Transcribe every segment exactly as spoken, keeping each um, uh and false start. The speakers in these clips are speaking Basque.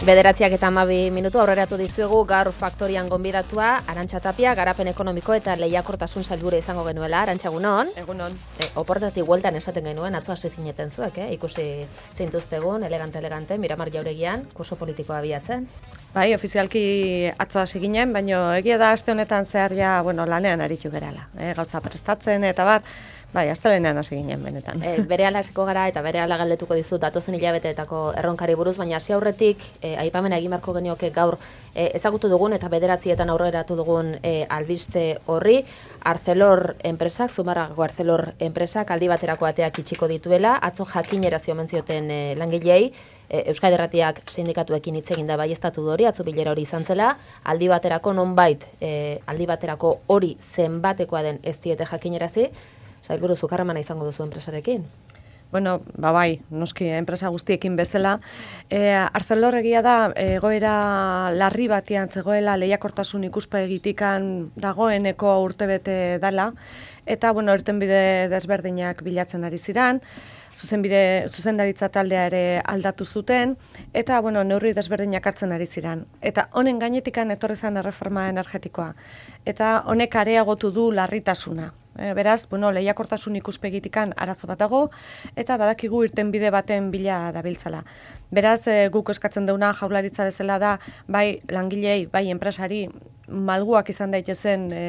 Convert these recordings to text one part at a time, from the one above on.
Bederatziak eta hamabi minutu aurreratu dizuegu gaur faktorian gonbidatua Arantxa Tapia, garapen ekonomiko eta lehiakortasun sailburu izango genuela. Arantxa, egunon. Egunon. E, oportatik bueltan esaten genuen, atzo hasi zineten zuek, eh? Ikusi zintuztegun, elegante-elegante, Miramar jauregian, kurso politikoa abiatzen. Bai, ofizialki atzo hasi ginen, baina egia da aste honetan zehar ja, bueno, lanean aritu gerala. Eh? Gauza prestatzen eta bar, bai, astelehenean hasi ginen benetan. E, berehala hasiko gara eta berehala galdetuko dizut datozen hilabeteetako erronkari buruz, baina hasi aurretik e, aipamena egin beharko genioke gaur e, ezagutu dugun eta bederatzietan aurreratu dugun e, albiste horri. Arcelor enpresak, Zumarragako Arcelor enpresak aldi baterako ateak itxiko dituela, atzo jakinerazi omen zioten e, langilei. Euskadi Irratiak sindikatuekin hitz egin da baieztatu hori, atzo bilera hori izan zela, aldi baterako nonbait, e, aldi baterako hori zenbatekoa den ez diete jakinerazi. Sailburu, zuk harremana izango duzu enpresarekin? Bueno, ba bai, noski enpresa guztiekin bezala. E, Arcelor egia da, egoera larri batean zegoela, lehiakortasun ikuspegitikan dagoeneko urtebete dela, eta, bueno, irtenbide desberdinak bilatzen ari ziran, Zuzenbide, zuzendaritza taldea ere aldatu zuten, eta bueno, neurri desberdinak hartzen ari ziran. Eta honen gainetikan etorri zen erreforma energetikoa. Eta honek areagotu du larritasuna. E, beraz, bueno, lehiakortasun ikuspegitikan arazo bat dago, eta badakigu irtenbide baten bila dabiltzala. Beraz, e, guk eskatzen deuna jaurlaritza bezala da, bai langilei, bai enpresari, malguak izan daitezen e,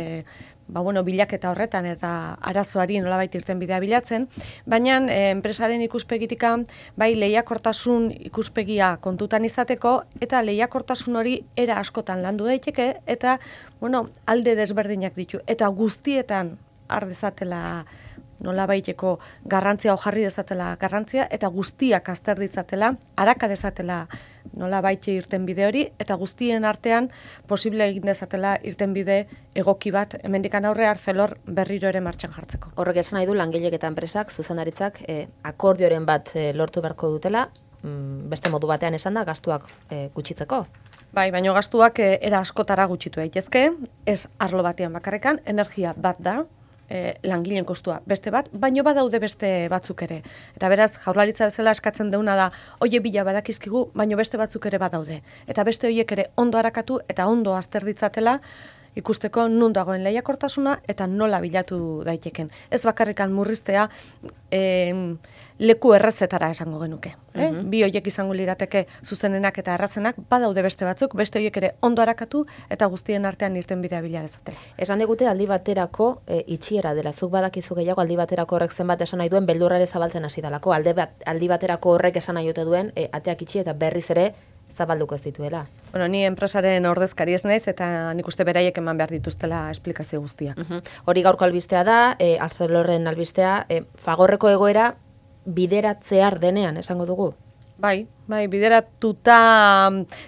ba, bueno, bilaketa horretan eta arazoari nolabait irtenbidea bilatzen, baina e, enpresaren ikuspegitikan bai lehiakortasun ikuspegia kontutan izateko eta lehiakortasun hori era askotan landu daiteke eta bueno, alde desberdinak ditu eta guztietan har dezatela nolabaiteko garrantzia o jarri dezatela garrantzia eta guztiak azter ditzatela, araka dezatela nolabait irtenbide hori eta guztien artean posible egin dezatela irtenbide egoki bat hemendikan aurre Arcelor berriro ere martxan jartzeko. Horrek esan nahi du langilek eta enpresak, zuzendaritzak eh, akordioren bat eh, lortu beharko dutela, mm, beste modu batean esan da gastuak eh, gutxitzeko. Bai, baino gastuak eh, era askotara gutxitu daitezke, ez arlo batean bakarrekan, energia bat da, E, langileen kostua beste bat, baino badaude beste batzuk ere. Eta beraz, jaurlaritza bezala eskatzen deuna da, oie bila badakizkigu, baino beste batzuk ere badaude. Eta beste horiek ere ondo harakatu eta ondo azter ditzatela ikusteko nun dagoen lehiakortasuna eta nola bilatu daiteken. Ez bakarrikan murriztea e, leku errezetara esango genuke. Eh? Uh-huh. Bi horiek izango lirateke zuzenenak eta errazenak, badaude beste batzuk, beste horiek ere ondo harakatu eta guztien artean irtenbidea bila dezatela. Esan digute aldi baterako e, itxiera dela, zuk badakizu gehiago aldi baterako horrek zenbat esan nahi duen beldurrare zabaltzen hasi dalako, alde bat, aldi baterako horrek esan nahi dute duen e, ateak itxi eta berriz ere zabalduko ez dituela. Bueno, ni enpresaren ordezkari ez naiz eta nik uste beraiek eman behar dituztela esplikazio guztiak. Uh-huh. Hori gaurko albistea da, e, Arcelorren albistea, e, Fagorreko egoera bideratzear denean, esango dugu? Bai, bai, bideratuta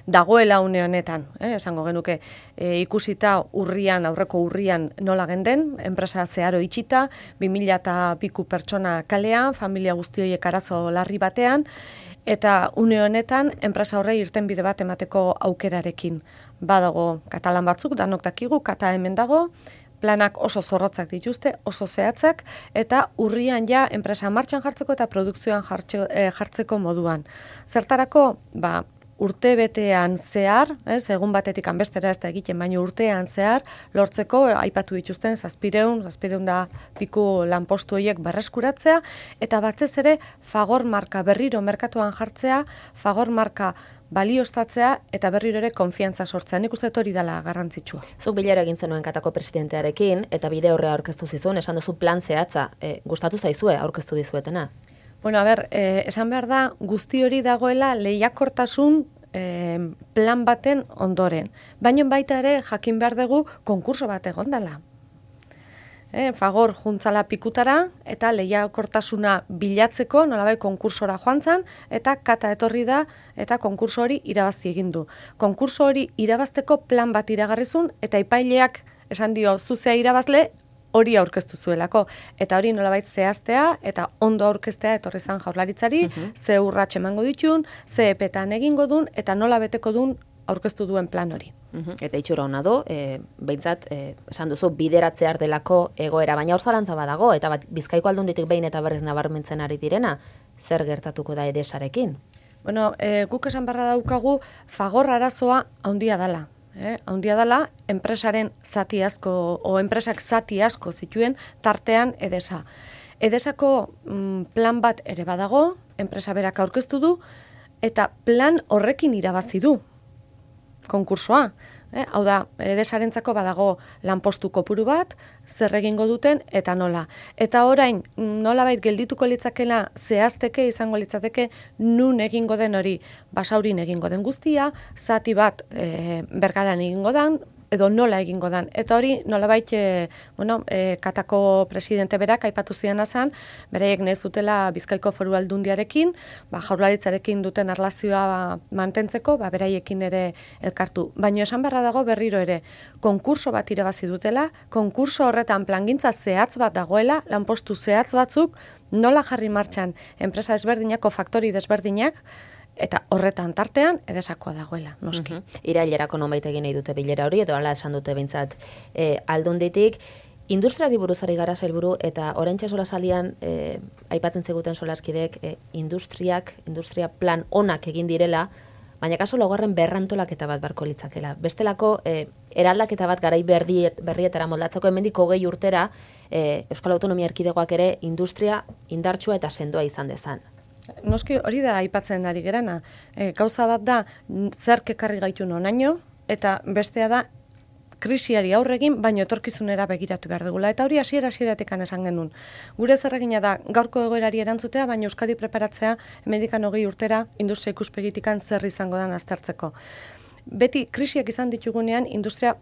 dagoela une honetan, eh, esango genuke, e, ikusita urrian, aurreko urrian nola genden, enpresa zeharo itxita, bi mila eta piku pertsona kalean, familia guzti horiek arazo larri batean, eta une honetan, enpresa horrei irtenbide bat emateko aukerarekin. Badago katalan batzuk, danok dakigu, kata hemen dago, planak oso zorrotzak dituzte, oso zehatzak, eta urrian ja enpresa martxan jartzeko eta produkzioan jartxe, eh, jartzeko moduan. Zertarako, ba, urte betean zehar, ez, egun batetik anbestera ez da egiten, baina urtean zehar, lortzeko aipatu dituzten zazpireun, zazpireun da piku lanpostu horiek berreskuratzea, eta batez ere Fagor marka berriro merkatuan jartzea, Fagor marka balioztatzea eta berriro ere konfiantza sortzea. Nik uste hori dela garrantzitsua. Zuk bilera egin zenuen Katako presidentearekin eta bide horrea aurkeztu zizun, esan duzu plan zehatza, e, gustatu zaizue aurkeztu dizuetena? Bueno, a ber, eh, esan behar da, guzti hori dagoela lehiakortasun eh, plan baten ondoren. Baina baita ere jakin behar dugu konkurso bat egon dela. Eh, Fagor juntzala pikutara eta lehiakortasuna bilatzeko nolabai konkursora joan zen eta kata etorri da eta konkurso hori irabazi egin du. Konkurso hori irabazteko plan bat iragarrizun eta epaileak esan dio zuzea irabazle hori aurkeztu zuelako. Eta hori nolabait zehaztea eta ondo aurkeztea etorri zen jaurlaritzari, uh-huh. ze urrats emango ditun, ze epetan egingo dun eta nola beteko dun aurkeztu duen plan hori. Uhum. Eta itxura hona du, e, behintzat, e, esan duzu, bideratzear delako egoera, baina hor zalantza badago, eta bat, Bizkaiko Aldunditik behin eta berriz nabarmentzen ari direna, zer gertatuko da edesarekin? Bueno, e, guk esan barra daukagu Fagor arazoa handia dela. Eh, handia dela, enpresaren zati asko, o enpresak zati asko zituen tartean Edesa. Edesako mm, plan bat ere badago, enpresa berak aurkeztu du, eta plan horrekin irabazi du konkursoa. Eh, hau da, Edesarentzako badago lanpostu kopuru bat, zer egingo duten eta nola. Eta orain, nolabait geldituko litzakela zehazteke izango litzateke nun egingo den hori, Basaurin egingo den guztia, zati bat e, Bergaran egingo den, edo nola egingo dan. Eta hori nolabait e, bueno, e, Katako presidente berak aipatu ziena zen, beraiek nahi zutela Bizkaiko Foru Aldundiarekin, ba, Jaurlaritzarekin duten erlazioa mantentzeko, ba, beraiekin ere elkartu. Baina esan beharra dago berriro ere, konkurso bat irabazi dutela, konkurso horretan plangintza zehatz bat dagoela, lanpostu zehatz batzuk, nola jarri martxan enpresa desberdinako faktori desberdinak, eta horretan tartean Edesakoa dagoela, noski. Uh-huh. Irailerako nonbait egin nahi dute bilera hori, edo hala esan dute behintzat e, Aldunditik. Industriari buruz ari gara sailburu, eta oraintxe solasaldian e, aipatzen zeguten solaskidek e, industriak, industria plan onak egin direla, baina kaso laugarren berrantolaketa bat barko litzakela. Bestelako e, eraldaketa bat garai berriet, berrietara moldatzeko hemendik hogei urtera e, Euskal Autonomia Erkidegoak ere industria indartsua eta sendoa izan dezan. Noski hori da aipatzen ari gerana. E, gauza bat da zerk ekarri gaitu nonaino, eta bestea da krisiari aurregin, baino etorkizunera begiratu behar dugula. Eta hori hasiera hasieratik esan genuen. Gure zerregina da gaurko egoerari erantzutea, baina Euskadi preparatzea hemendikan hogei urtera industria ikuspegitikan zer izango den aztertzeko. Beti krisiak izan ditugunean industria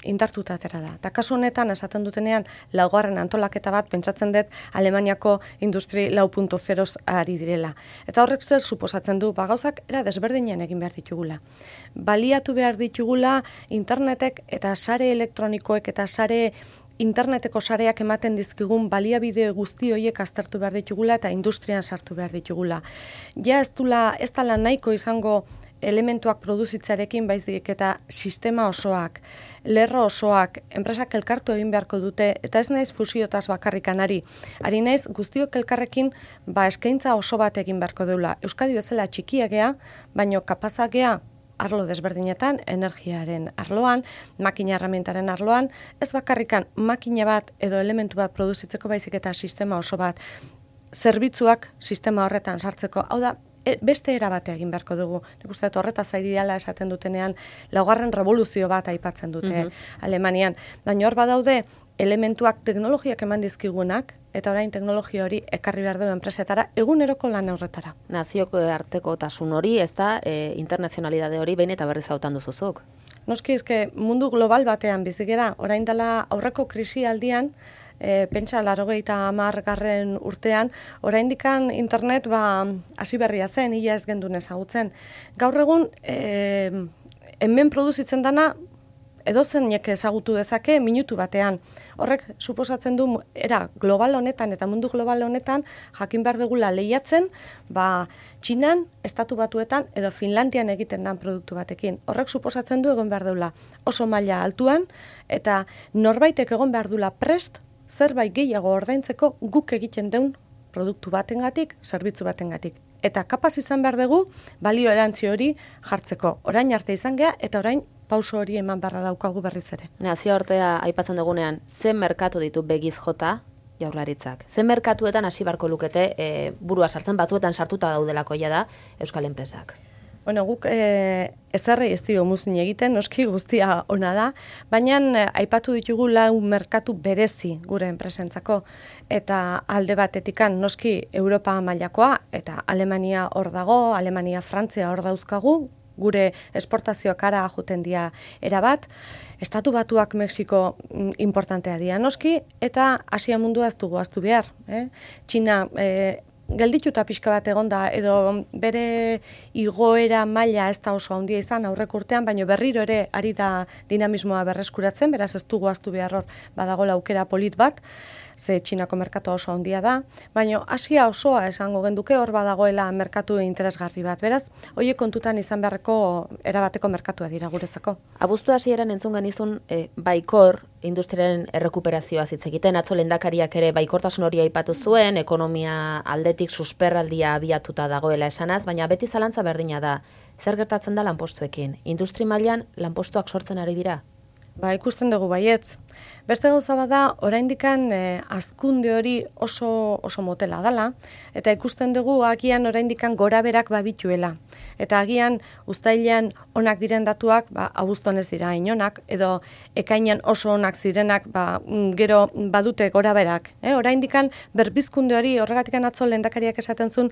indartuta atera da. Eta kasu honetan esaten dutenean laugarren antolaketa bat pentsatzen dut Alemaniako industri lau puntu zeroz ari direla. Eta horrek zer suposatzen du, ba gauzak era desberdinen egin behar ditugula. Baliatu behar ditugula internetek eta sare elektronikoek eta sare interneteko sareak ematen dizkigun baliabide guzti horiek aztertu behar ditugula eta industrian sartu behar ditugula. Ja ez dula, ez dala nahiko izango elementuak produzitzarekin baizik eta sistema osoak, lerro osoak, enpresak elkartu egin beharko dute, eta ez naiz fusiotaz bakarrikan ari. Ari naiz guztiok elkarrekin ba eskaintza oso bat egin beharko deula. Euskadi bezala txikia gea, baino kapazak gea arlo desberdinetan, energiaren arloan, makina erramientaren arloan, ez bakarrikan makina bat edo elementu bat produzitzeko baizik eta sistema oso bat, zerbitzuak sistema horretan sartzeko. Hau da, beste era batea egin beharko dugu. Nik uste dut horretaz ari dela esaten dutenean, laugarren revoluzio bat aipatzen dute uh-huh. Alemanian. Baina hor badaude elementuak teknologiak eman dizkigunak, eta orain teknologia hori ekarri behar du enpresetara, eguneroko lan horretara. Nazioko arteko tasun hori, ez da, e, internazionalidade hori behin eta berriz hautan duzuzuk. Noski, ezke mundu global batean bizigera, orain dela aurreko krisi aldian, E, pentsa larogeita hamargarren urtean, oraindikan internet ba hasi berria zen, ia ez gendun ezagutzen. Gaur egun e, hemen produzitzen dana edozeinek ezagutu dezake minutu batean. Horrek suposatzen du era global honetan eta mundu global honetan jakin behar dugula lehiatzen, ba Txinan, Estatu Batuetan edo Finlandian egiten den produktu batekin. Horrek suposatzen du egon behar dugula oso maila altuan eta norbaitek egon behar dugula prest zerbait gehiago ordaintzeko guk egiten deun produktu batengatik, zerbitzu batengatik. Eta kapaz izan behar dugu balio erantzi hori jartzeko. Orain arte izan gea eta orain pauso hori eman beharra daukagu berriz ere. Nazio artea aipatzen dugunean, zen merkatu ditu begiz jota Jaurlaritzak? Zen merkatuetan hasi barko lukete e, burua sartzen, batzuetan sartuta daudelako ja da Euskal enpresak? Bueno, guk e, ezarrei ez dio muzin egiten, noski guztia ona da, baina e, aipatu ditugu lau merkatu berezi gure enpresentzako, eta alde batetikan noski Europa mailakoa, eta Alemania hor dago, Alemania, Frantzia hor dauzkagu, gure esportazioak ara juten dia erabat, Estatu Batuak Mexiko importantea dira noski, eta Asia mundua ez dugu aztu behar. Eh? Txina e, geldituta pixka bat egonda edo bere igoera maila ez da oso handia izan aurreko urtean, baina berriro ere ari da dinamismoa berreskuratzen, beraz ez dugu aztu behar hor badagola aukera polit bat. ze Txinako merkatu oso handia da, baina Asia osoa esango genduke hor badagoela merkatu interesgarri bat. Beraz, horiek kontutan izan beharreko erabateko merkatua dira guretzako. Abuztu hasieran entzun genizun e, baikor industriaren errekuperazioa hitz egiten, atzo lehendakariak ere baikortasun hori aipatu zuen, ekonomia aldetik susperraldia abiatuta dagoela esanaz, baina beti zalantza berdina da. Zer gertatzen da lanpostuekin? Industri mailan lanpostuak sortzen ari dira? Ba, ikusten dugu baietz. Beste gauza bada, oraindikan eh, hazkunde hori oso oso motela dala, eta ikusten dugu agian oraindikan goraberak badituela. Eta agian uztailean onak diren datuak, ba, abuztuan ez dira inonak, edo ekainean oso onak zirenak, ba, gero badute goraberak. Eh? Oraindikan berbizkunde hori, horregatikan atzo lehendakariak esaten zuen,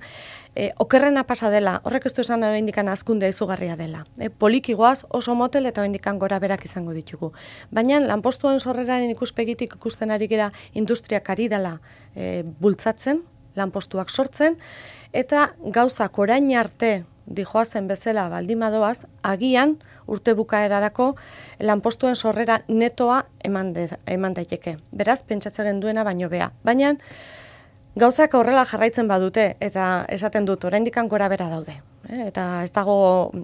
eh, okerrena pasa dela, horrek ez du esan oraindikan hazkunde izugarria dela. Eh? Polikigoaz oso motel eta oraindikan goraberak izango ditugu. Baina lanpostuen sorreraren ikuspegitik ikusten ari gera industriak ari dela e, bultzatzen, lanpostuak sortzen, eta gauzak orain arte dijoazen bezala baldimadoaz, agian urte bukaerarako lanpostuen sorrera netoa eman, de, eman daiteke. Beraz, pentsatzen duena baino bea. Baina gauzak horrela jarraitzen badute, eta esaten dut, oraindikan gora bera daude. Eh? Eta ez dago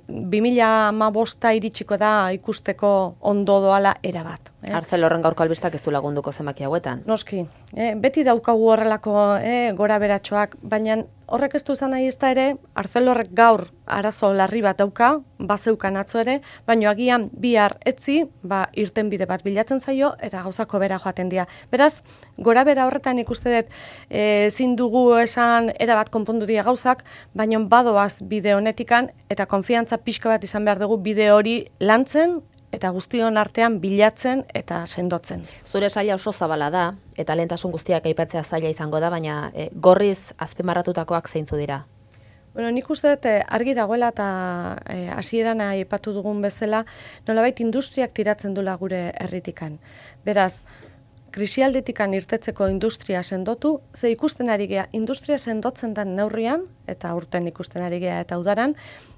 bi mila hamabosta iritsiko da ikusteko ondo doala erabat. Eh? Arcelorren gaurko albistak ez du lagunduko zenbaki hauetan. Noski, eh? Beti daukagu horrelako eh, gora beratxoak, baina horrek ez du izan nahi ez da ere, Arcelorrek gaur arazo larri bat dauka, bazeukan atzo ere, baina agian bihar etzi, ba, irten bide bat bilatzen zaio, eta gauzako bera joaten dira. Beraz, gora bera horretan ikuste dut, ezin dugu esan erabat konpondu dira gauzak, baina badoaz bide honetikan, eta konfiantza pixka bat izan behar dugu bide hori lantzen, eta guztion artean bilatzen eta sendotzen. Zure saila oso zabala da, eta lehentasun guztiak aipatzea zaila izango da, baina e, gorriz azpimarratutakoak zeintzu dira? Bueno, nik uste dut argi dagoela eta hasieran e, aipatu dugun bezala, nolabait industriak tiratzen dula gure herritikan. Beraz, krisialdetikan irtetzeko industria sendotu, ze ikusten ari gea, industria sendotzen den neurrian, eta urten ikusten ari gea eta udaran,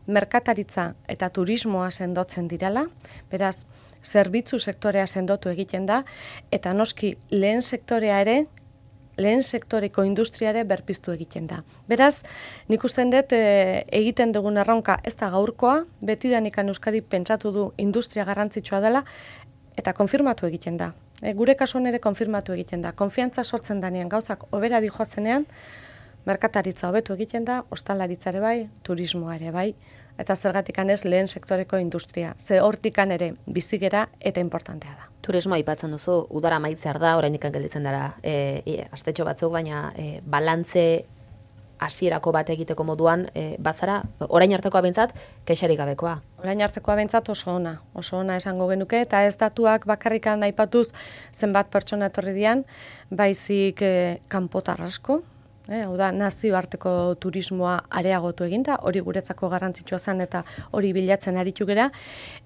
merkataritza eta turismoa sendotzen direla, beraz, zerbitzu sektorea sendotu egiten da, eta noski lehen sektorea ere, lehen sektoreko industriare berpiztu egiten da. Beraz, nik usten dut e, egiten dugun erronka ez da gaurkoa, betidanikan Euskadi pentsatu du industria garrantzitsua dela, eta konfirmatu egiten da. E, gure kasuan ere konfirmatu egiten da. Konfiantza sortzen danean gauzak hobera dijoazenean, merkataritza hobetu egiten da, ostalaritza ere bai, turismoa ere bai, eta zergatikan ez lehen sektoreko industria. Ze hortikan ere bizigera eta importantea da. Turismoa aipatzen duzu, udara maitzear da, oraindik gelditzen dara e, e, astetxo batzuk, baina e, balantze hasierako bat egiteko moduan, e, bazara, orain artekoa behintzat, kexarik gabekoa. Orain artekoa behintzat oso ona, oso ona esango genuke, eta ez datuak bakarrikan aipatuz zenbat pertsona etorri dian, baizik e, kanpotar asko, Eh, hau da, nazioarteko turismoa areagotu eginda, hori guretzako garrantzitsua zen eta hori bilatzen aritu gera.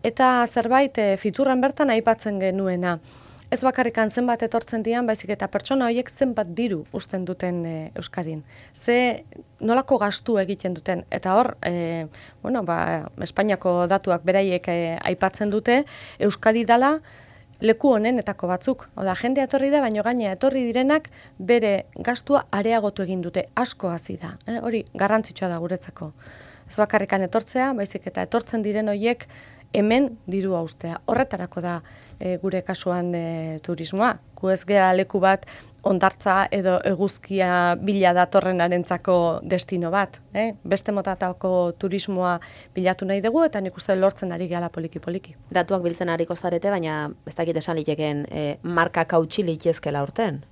Eta zerbait, e, fiturran bertan aipatzen genuena. Ez bakarrikan zenbat etortzen dian, baizik eta pertsona horiek zenbat diru uzten duten e, Euskadin. Ze nolako gastu egiten duten. Eta hor, e, bueno, ba, Espainiako datuak beraiek e, aipatzen dute, Euskadi dala, leku honenetako batzuk. Oda, jendea etorri da, baino gaina etorri direnak bere gastua areagotu egin dute, asko hasi da. Eh? Hori garrantzitsua da guretzako. Ez bakarrikan etortzea, baizik eta etortzen diren horiek hemen dirua ustea. Horretarako da e, gure kasuan e, turismoa. Gu ez gera leku bat ondartza edo eguzkia bila datorrenarentzako destino bat. Eh? Beste motatako turismoa bilatu nahi dugu eta nik uste lortzen ari gehala poliki-poliki. Datuak biltzen ariko zarete, baina ez dakit esan liteken eh, markak hautsi litezkela urten?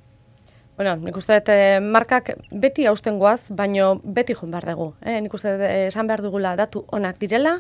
Bueno, nik uste dut markak beti hausten goaz, baina beti joan behar dugu. Eh? Nik uste dut esan behar dugula datu onak direla,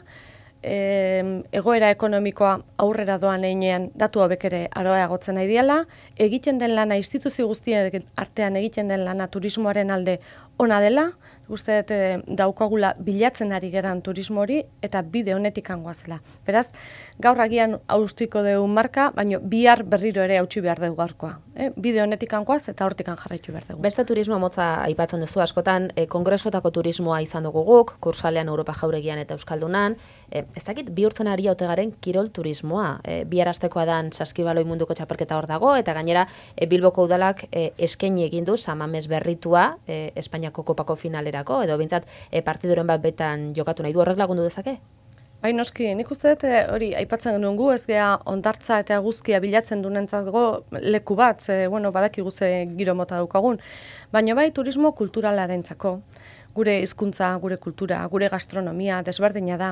E, egoera ekonomikoa aurrera doan einean datu hobek ere aroagotzen nahi diela, egiten den lana instituzio guztien artean egiten den lana turismoaren alde ona dela, uste dut e, daukagula bilatzen ari geran turismo hori eta bide honetik angoazela. Beraz, gaur agian haustiko dugu marka, baina bihar berriro ere hautsi behar dugu gaurkoa. Eh? Bide honetik angoaz eta hortik jarraitu behar dugu. Beste turismo motza aipatzen duzu askotan, e, kongresuetako turismoa izan dugu guk, kursalean Europa jauregian eta Euskaldunan, e, ez dakit bihurtzen ari haute garen kirol turismoa. E, bi arastekoa dan Saskibaloi munduko txapelketa hor dago, eta gainera e, Bilboko udalak e, eskaini egin du Samamez berritua e, Espainiako kopako finalerako, edo bintzat e, partiduren bat betan jokatu nahi du, horrek lagundu dezake? Bai, noski, nik uste dut hori aipatzen genuen gu, ez gea ondartza eta guzkia bilatzen dunentzatgo leku bat, ze, bueno, badakigu ze giro mota daukagun, baina bai turismo kulturalarentzako, gure hizkuntza, gure kultura, gure gastronomia desberdina da,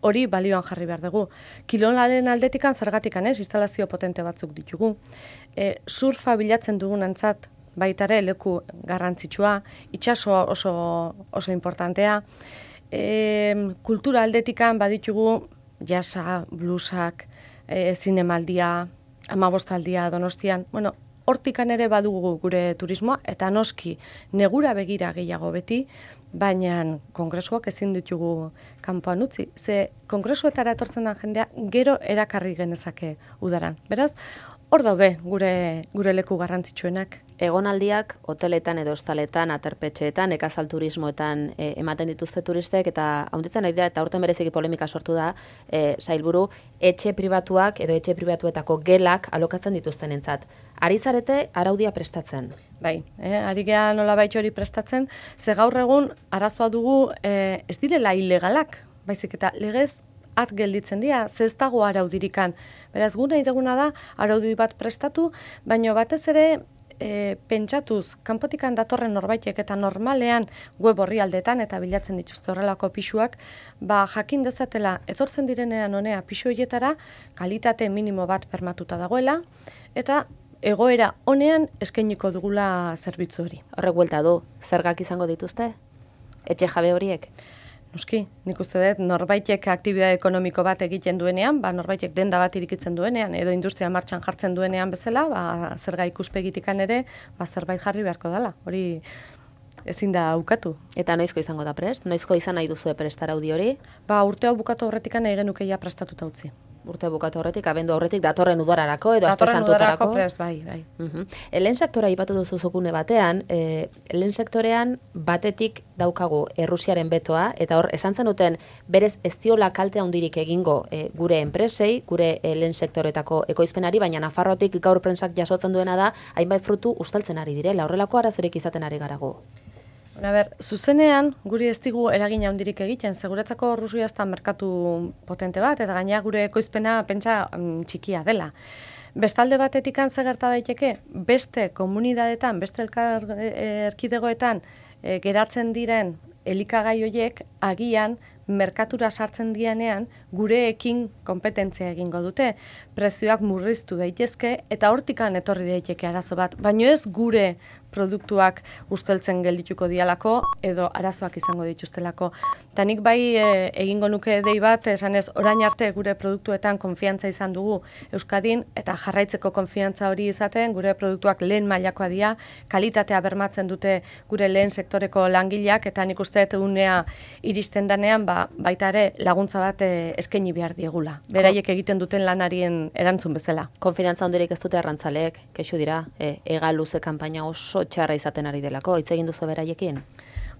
hori balioan jarri behar dugu. Kilolaren aldetikan zergatikan ez, instalazio potente batzuk ditugu, e, surfa bilatzen dugunentzat baitare leku garrantzitsua, itsasoa oso, oso importantea, E, kultura aldetikan baditugu jasa, bluesak, e, zinemaldia, amabostaldia Donostian, bueno, hortikan ere badugu gure turismoa, eta noski negura begira gehiago beti, baina kongresuak ezin ditugu kanpoan utzi. Ze kongresuetara etortzen da jendea gero erakarri genezake udaran. Beraz, hor daude gure, gure leku garrantzitsuenak. Egonaldiak hoteletan edo ostaletan, aterpetxeetan, nekazal turismoetan e, ematen dituzte turistek, eta haunditzen ari da, eta aurten bereziki polemika sortu da, e, sailburu, etxe pribatuak edo etxe pribatuetako gelak alokatzen dituzten entzat. Ari zarete araudia prestatzen? Bai, eh, ari geha nola baitxo hori prestatzen, ze gaur egun arazoa dugu e, ez direla ilegalak, baizik eta legez at gelditzen dira, ze ez dago araudirikan. Beraz, guna ideguna da, araudi bat prestatu, baina batez ere, E, pentsatuz, kanpotikan datorren norbaitek eta normalean web orrialdetan eta bilatzen dituzte horrelako pisuak, ba jakin dezatela etortzen direnean honea pisu horietara kalitate minimo bat bermatuta dagoela eta egoera honean eskainiko dugula zerbitzu hori. Horrek buelta du, zergak izango dituzte? Etxe jabe horiek? Noski, nik uste dut norbaitek aktibitate ekonomiko bat egiten duenean, ba norbaitek denda bat irikitzen duenean edo industria martxan jartzen duenean bezala, ba zerga ikuspegitikan ere, ba zerbait jarri beharko dela. Hori ezin da ukatu. Eta noizko izango da prest? Noizko izan nahi duzue prestar audi hori? Ba urte hau bukatu horretikan nahi genuke ja prestatuta utzi. Urte bukatu horretik, abendu horretik, datorren udararako edo aste datorren santutarako. Udararako prest, bai, bai. Uh-huh. Lehen sektora ipatu duzu zukune batean, e, lehen sektorean batetik daukagu Errusiaren betoa, eta hor, esan zenuten, berez ez diola kalte handirik egingo e, gure enpresei, gure e, lehen sektoretako ekoizpenari, baina Nafarrotik gaur prentsak jasotzen duena da, hainbat frutu ustaltzen ari direla, horrelako arazorik izaten ari garago. A ber, zuzenean, guri ez digu eragin handirik egiten, seguretzako Rusia ez da merkatu potente bat, eta gaina gure ekoizpena pentsa mm, txikia dela. Bestalde batetikan ze gerta daiteke, beste komunidadetan, beste elkar, erkidegoetan e, geratzen diren elikagai horiek agian merkatura sartzen dianean gureekin konpetentzia egingo dute. Prezioak murriztu daitezke eta hortikan etorri daiteke arazo bat, baino ez gure produktuak usteltzen geldituko dialako edo arazoak izango dituztelako. Eta nik bai e, egingo nuke dei bat, esanez orain arte gure produktuetan konfiantza izan dugu Euskadin eta jarraitzeko konfiantza hori izaten, gure produktuak lehen mailakoa dira, kalitatea bermatzen dute gure lehen sektoreko langileak eta nik uste dut unea iristen danean ba, baita ere laguntza bat e, eskaini behar diegula. Beraiek egiten duten lanarien erantzun bezala. Konfidantza hondirik ez dute arrantzaleek, kexu dira, e, ega luze kanpaina oso txarra izaten ari delako, hitz egin duzu beraiekin?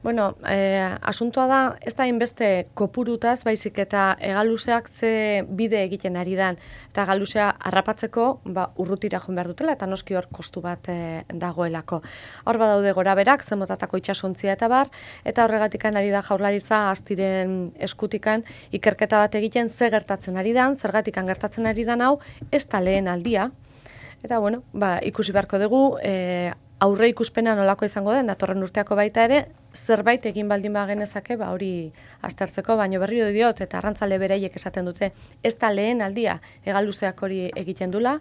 Bueno, eh, asuntoa da, ez da inbeste kopurutaz, baizik eta egaluzeak ze bide egiten ari dan. Eta egaluzea harrapatzeko ba, urrutira joan behar dutela, eta noski hor kostu bat eh, dagoelako. Hor badaude gora berak, zemotatako itxasontzia eta bar, eta horregatikan ari da jaurlaritza astiren eskutikan ikerketa bat egiten ze gertatzen ari dan, zergatikan gertatzen ari dan hau, ez da lehen aldia. Eta bueno, ba, ikusi beharko dugu, eh, aurre ikuspena nolako izango den, datorren urteako baita ere, zerbait egin baldin ba genezake, ba hori aztertzeko, baino berriro diot, eta arrantzale beraiek esaten dute, ez da lehen aldia egaluzeak hori egiten dula,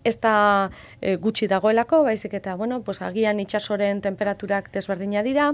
ez da e, gutxi dagoelako, baizik eta, bueno, pues, agian itsasoren temperaturak desberdina dira,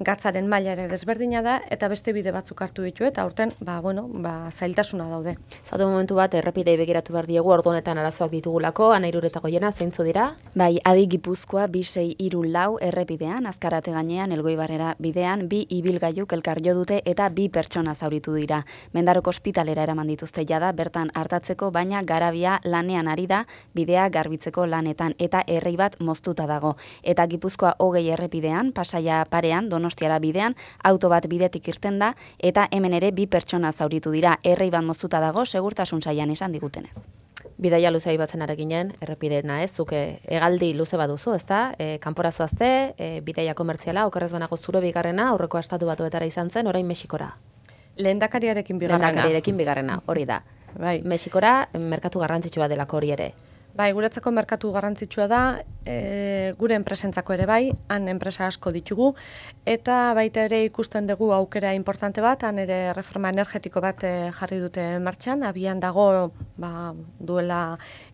gatzaren maila ere desberdina da, eta beste bide batzuk hartu ditu, eta aurten, ba, bueno, ba, zailtasuna daude. Zatu momentu bat, errepidei begiratu behar diegu, ordu honetan arazoak ditugulako, Anairuretako jena, zeintzu dira? Bai, Adi Gipuzkoa, bi sei hiru lau errepidean, Azkarate gainean, Elgoibarrera bidean bi ibilgailuk elkar jo dute eta bi pertsona zauritu dira. Mendaroko ospitalera eraman dituzte jada bertan hartatzeko, baina garabia lanean ari da bidea garbitzeko lanetan eta errei bat moztuta dago. Eta Gipuzkoa hogei errepidean, Pasaia parean, Donostiara bidean, auto bat bidetik irten da eta hemen ere bi pertsona zauritu dira. Errei bat moztuta dago, segurtasun sailan esan digutenez. Bidaia luze aipatzen ara ginen, errepideena ez, zuke hegaldi luze baduzu, ezta? E, kanpora zoazte, e, bidaia komertziala, okerrez banago zure bigarrena, aurreko estatu batuetara izan zen, orain Mexikora. Lehendakariarekin bigarrena. Lehendakariarekin bigarrena, hori da. Bai. Mexikora, merkatu garrantzitsua delako hori ere. Bai, guretzako merkatu garrantzitsua da, e, gure enpresentzako ere bai, han enpresa asko ditugu, eta baita ere ikusten dugu aukera importante bat, han ere reforma energetiko bat e, jarri dute martxan, abian dago ba, duela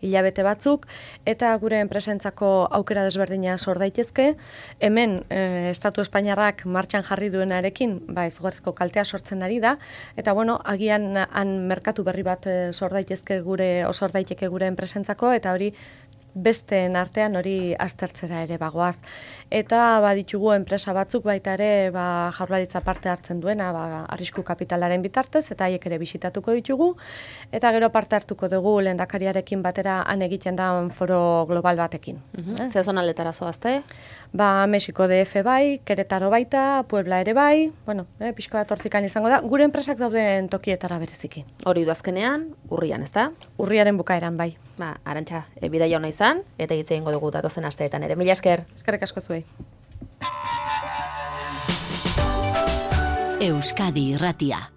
hilabete batzuk, eta gure enpresentzako aukera desberdina sor daitezke, hemen e, Estatu Espainiarrak martxan jarri duenarekin, ba, izugarrizko kaltea sortzen ari da, eta bueno, agian han merkatu berri bat e, sor daitezke gure, osor daiteke gure enpresentzako, eta hori besteen artean hori aztertzera ere bagoaz. Eta baditugu enpresa batzuk baita ere ba, Jaurlaritza parte hartzen duena ba, arrisku kapitalaren bitartez, eta haiek ere bisitatuko ditugu. Eta gero parte hartuko dugu lehendakariarekin batera han egiten da foro global batekin. Uh-huh. eh? Zer zonaletara zoazte? Ba, Mexiko D F bai, Querétaro baita, Puebla ere bai, bueno, eh, pixko bat hortzikan izango da, gure enpresak dauden tokietara bereziki. Hori du azkenean, urrian, ezta? Urriaren bukaeran bai. Ba, Arantxa, e, bidaia ona izan, eta hitz egingo dugu datozen asteetan ere. Mila esker. Eskerrik asko zuei. Euskadi Irratia.